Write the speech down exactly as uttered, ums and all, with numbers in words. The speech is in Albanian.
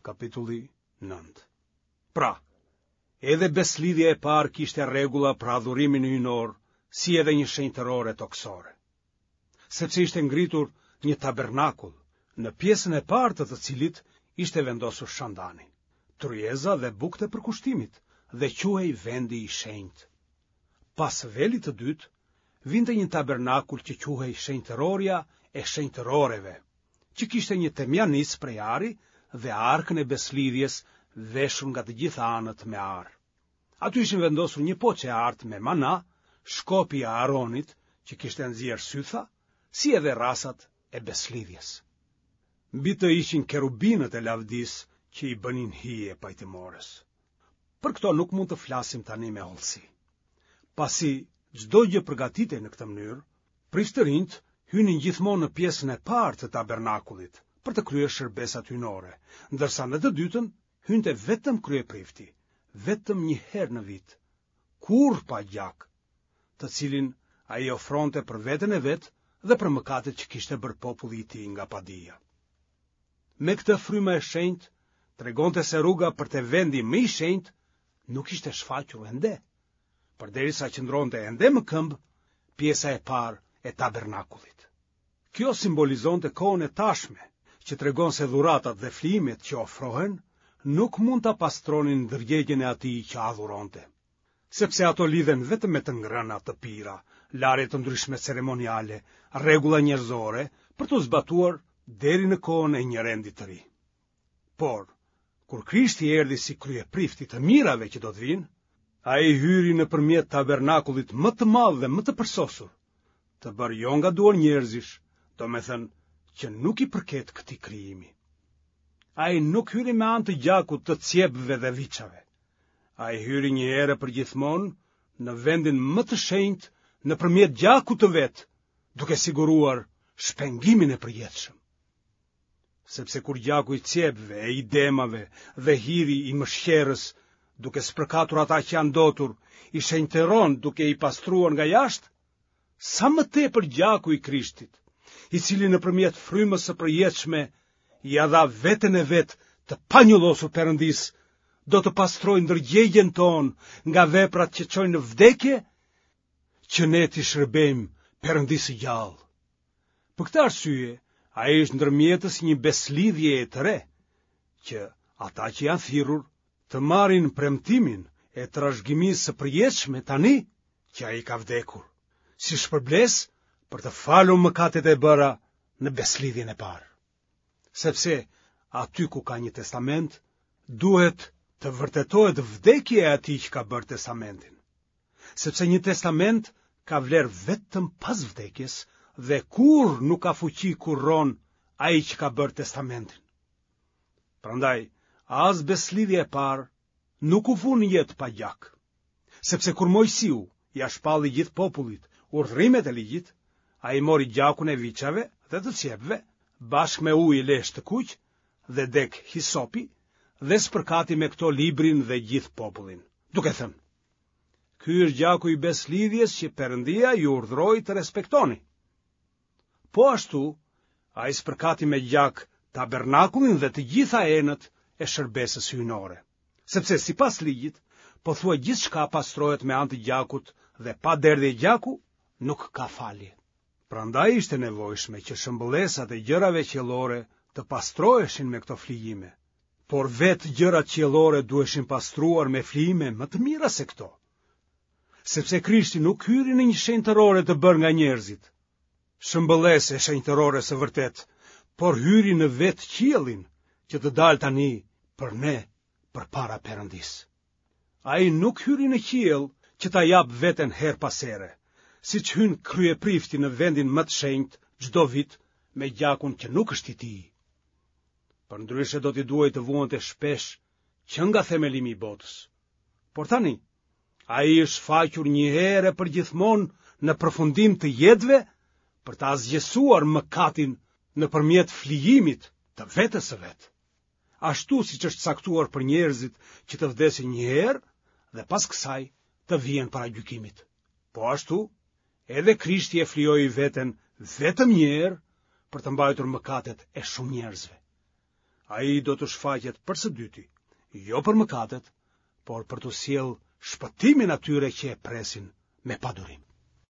Kapitulli nëntë. Pra, edhe besëlidhja e parë kishte rregulla për adhurimin hyjnor, si edhe një shenjtërore tokësore. Sepse ishte ngritur një tabernakull, në pjesën e parë të të cilit ishte vendosur shandani, tryeza dhe bukët e përkushtimit, dhe quhej vendi i shenjtë. Pas velit të dytë, vinte një tabernakull që quhej shenjtërorja e shenjtëroreve, që kishte një temjanicë prej ari dhe arkën e besëlidhjes veshur nga të gjitha anët me ar. Aty ishin vendosur një poçe e artë me mana, shkopi i Aaronit që kishte nxjerrë sytha, si edhe rrasat e besëlidhjes. Mbi të ishin kerubinët e lavdisë që i bënin hije pajtimores. Për këto nuk mund të flasim tani me hollësi. Pasi çdo gjë përgatitej në këtë mënyrë, priftërinjtë hynin gjithmonë në pjesën e parë të tabernakullit për të kryer shërbesat hyjnore, ndërsa në të dytën hynte vetëm kryeprifti, vetëm një herë në vit, kurrë pa gjak, të cilin ai ofronte për veten e vet dhe për mëkatet që kishte bërë populli i tij nga padija. Me këtë fryma e shenjtë tregonte se rruga për te vendi më i shenjtë nuk ishte shfaqur ende, përderisa qëndronte ende më këmbë pjesa e parë e tabernakullit. Kjo simbolizonte kohën e tashme, që tregon se dhuratat dhe flijimet që ofrohen nuk mund ta pastronin ndërgjegjen e atij që adhuronte, sepse ato lidhen vetëm me të ngrëna, të pira, larje të ndryshme ceremoniale, rregulla njerëzore për t'u zbatuar deri në kohën e një rendi të ri. Por, kur Krishti erdhi si kryeprift i të mirave që do të vijnë, ai hyri nëpërmjet tabernakullit më të madh dhe më të përsosur, të bërë jo nga duar njerëzish, domethënë që nuk i përket këtij krijimi. Ai nuk hyri me anë të gjakut të cjepve dhe viçave. Ai hyri një herë e përgjithmonë në vendin më të shenjtë nëpërmjet gjakut të vet, duke siguruar shpengimin e përjetshëm. Sepse kur gjaku i cjepve e i demave dhe hiri i mëshqerrës, duke spërkatur ata që janë ndotur, i shenjtëron duke i pastruar nga jashtë, sa më tepër gjaku i Krishtit, i cili nëpërmjet frymës së përjetshme ia dha veten e vet të panjollosur Perëndisë, do të pastrojë ndërgjegjen tonë nga veprat që çojnë në vdekje, që ne t'i shërbejmë Perëndisë së gjallë. Për këtë arsye, ai është ndërmjetës i një besëlidhjeje të re, që ata që janë thirrur të marrin premtimin e trashëgimisë së përjetshme tani që ai ka vdekur, si shpërblesë për të falur mëkatet e bëra në besëlidhjen e parë. Sepse aty ku ka një testament, duhet të vërtetohet vdekja e atij që ka bërë testamentin. Sepse një testament ka vlerë vetëm pas vdekjes dhe kurrë nuk ka fuqi kur rron ai që ka bërë testamentin. Prandaj, as besëlidhja e parë nuk u vu në jetë pa gjak. Sepse kur Moisiu ia shpalli gjithë popullit urdhërimet e ligjit, ai mori gjakun e viçave dhe të cjepve, bashkë me ujë e lesh të kuq dhe degë hisopi dhe spërkati me këto librin dhe gjithë popullin, duke thënë: Ky është gjaku i besëlidhjes që Perëndia ju urdhëroi të respektoni. Po ashtu, ai spërkati me gjak tabernakullin dhe të gjitha enët e shërbesës hyjnore. Sepse sipas ligjit, pothuaj gjithçka pastrohet me anë të gjakut dhe pa derdhje gjaku nuk ka falje. Prandaj ishte e nevojshme që shëmbëllesat e gjërave qiellore të pastroheshin me këto flijime, por vetë gjërat qiellore duheshin pastruar me flijime më të mira se këto. Sepse Krishti nuk hyri në një shenjtërore të bërë nga njerëzit, shëmbëllesë e shenjtërores së vërtetë, por hyri në vetë qiellin, që të dalë tani për ne përpara Perëndisë. Ai nuk hyri në qiell që ta japë veten herë pas here, siç hyn kryeprifti në vendin më të shenjtë çdo vit me gjakun që nuk është i tij. Përndryshe do t'i duhej të vuante shpesh që nga themelimi i botës. Por tani, ai është shfaqur një herë e përgjithmonë në përfundim të jetëve për të asgjësuar mëkatin nëpërmjet flijimit të vetes së vet. Ashtu siç është caktuar për njerëzit që të vdesin një herë dhe pas kësaj të vihen para gjykimit. Po ashtu, edhe Krishti e flijoi veten vetëm një herë për të mbajtur mëkatet e shumë njerëzve. Ai do të shfaqet për së dyti, jo për mëkatet, por për t'u sjellë shpëtimin atyre që e presin me padurim.